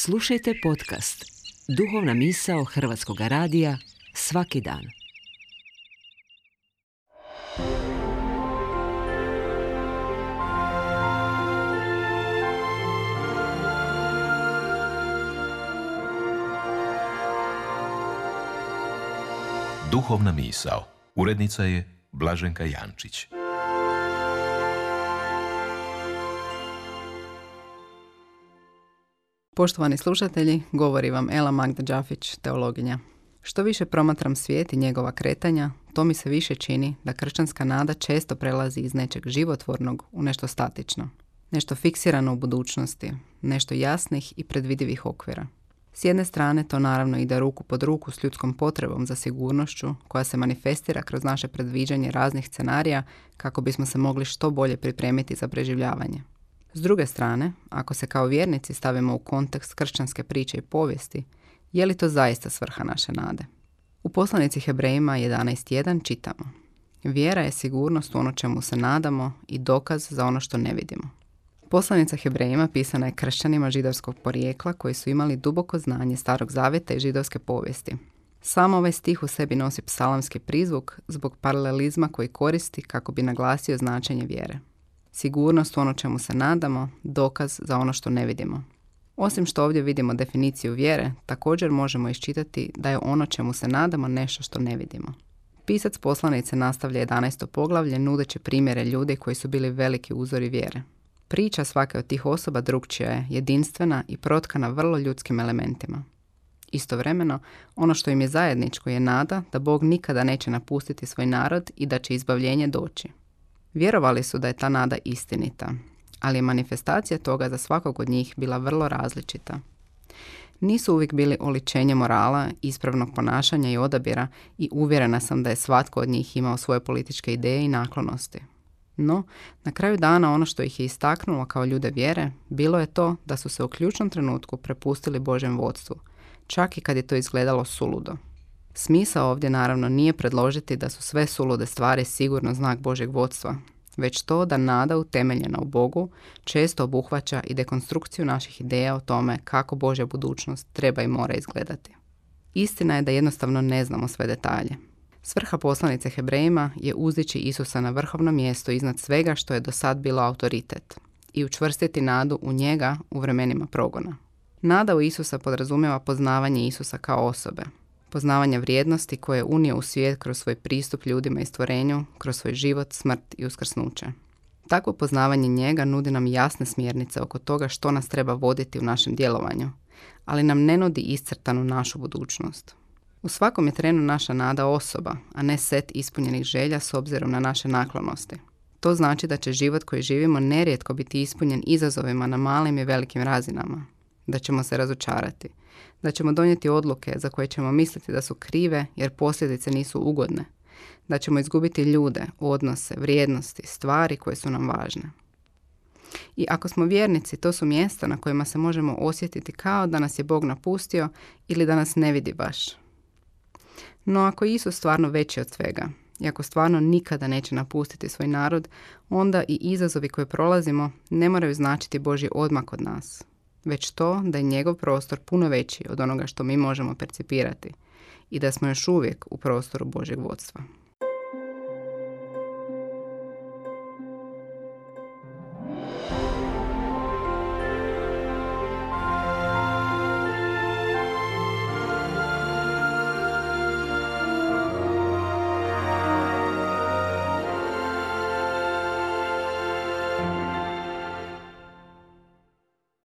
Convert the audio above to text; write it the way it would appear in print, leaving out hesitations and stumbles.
Slušajte podcast Duhovna misao Hrvatskog radija svaki dan. Duhovna misao. Urednica je Blaženka Jančić. Poštovani slušatelji, govori vam Ela Magda Đafić, teologinja. Što više promatram svijet i njegova kretanja, to mi se više čini da kršćanska nada često prelazi iz nečeg životvornog u nešto statično. Nešto fiksirano u budućnosti, nešto jasnih i predvidivih okvira. S jedne strane to naravno ide ruku pod ruku s ljudskom potrebom za sigurnošću koja se manifestira kroz naše predviđanje raznih scenarija kako bismo se mogli što bolje pripremiti za preživljavanje. S druge strane, ako se kao vjernici stavimo u kontekst kršćanske priče i povijesti, je li to zaista svrha naše nade? U poslanici Hebrejima 11.1 čitamo: Vjera je sigurnost u ono čemu se nadamo i dokaz za ono što ne vidimo. Poslanica Hebrejima pisana je kršćanima židovskog porijekla koji su imali duboko znanje Starog zavjeta i židovske povijesti. Samo ovaj stih u sebi nosi psalamski prizvuk zbog paralelizma koji koristi kako bi naglasio značenje vjere. Sigurnost u ono čemu se nadamo, dokaz za ono što ne vidimo. Osim što ovdje vidimo definiciju vjere, također možemo iščitati da je ono čemu se nadamo nešto što ne vidimo. Pisac poslanice nastavlja 11. poglavlje nudeći primjere ljudi koji su bili veliki uzori vjere. Priča svake od tih osoba drukčija je, jedinstvena i protkana vrlo ljudskim elementima. Istovremeno, ono što im je zajedničko je nada da Bog nikada neće napustiti svoj narod i da će izbavljenje doći. Vjerovali su da je ta nada istinita, ali je manifestacija toga za svakog od njih bila vrlo različita. Nisu uvijek bili oličenje morala, ispravnog ponašanja i odabira i uvjerena sam da je svatko od njih imao svoje političke ideje i naklonosti. No, na kraju dana ono što ih je istaknulo kao ljude vjere, bilo je to da su se u ključnom trenutku prepustili Božjem vodstvu, čak i kad je to izgledalo suludo. Smisao ovdje naravno nije predložiti da su sve sulude stvari sigurno znak Božjeg vodstva, već to da nada utemeljena u Bogu često obuhvaća i dekonstrukciju naših ideja o tome kako Božja budućnost treba i mora izgledati. Istina je da jednostavno ne znamo sve detalje. Svrha poslanice Hebrejima je uzdići Isusa na vrhovno mjesto iznad svega što je do sad bilo autoritet i učvrstiti nadu u njega u vremenima progona. Nada u Isusa podrazumijeva poznavanje Isusa kao osobe, poznavanje vrijednosti koje je unio u svijet kroz svoj pristup ljudima i stvorenju, kroz svoj život, smrt i uskrsnuće. Takvo poznavanje njega nudi nam jasne smjernice oko toga što nas treba voditi u našem djelovanju, ali nam ne nudi iscrtanu našu budućnost. U svakom je trenu naša nada osoba, a ne set ispunjenih želja s obzirom na naše naklonosti. To znači da će život koji živimo nerijetko biti ispunjen izazovima na malim i velikim razinama, da ćemo se razočarati, da ćemo donijeti odluke za koje ćemo misliti da su krive jer posljedice nisu ugodne, da ćemo izgubiti ljude, odnose, vrijednosti, stvari koje su nam važne. I ako smo vjernici, to su mjesta na kojima se možemo osjetiti kao da nas je Bog napustio ili da nas ne vidi baš. No ako je Isus stvarno veći od svega i ako stvarno nikada neće napustiti svoj narod, onda i izazovi koje prolazimo ne moraju značiti Božji odmak od nas, već to da je njegov prostor puno veći od onoga što mi možemo percipirati i da smo još uvijek u prostoru Božjeg vodstva.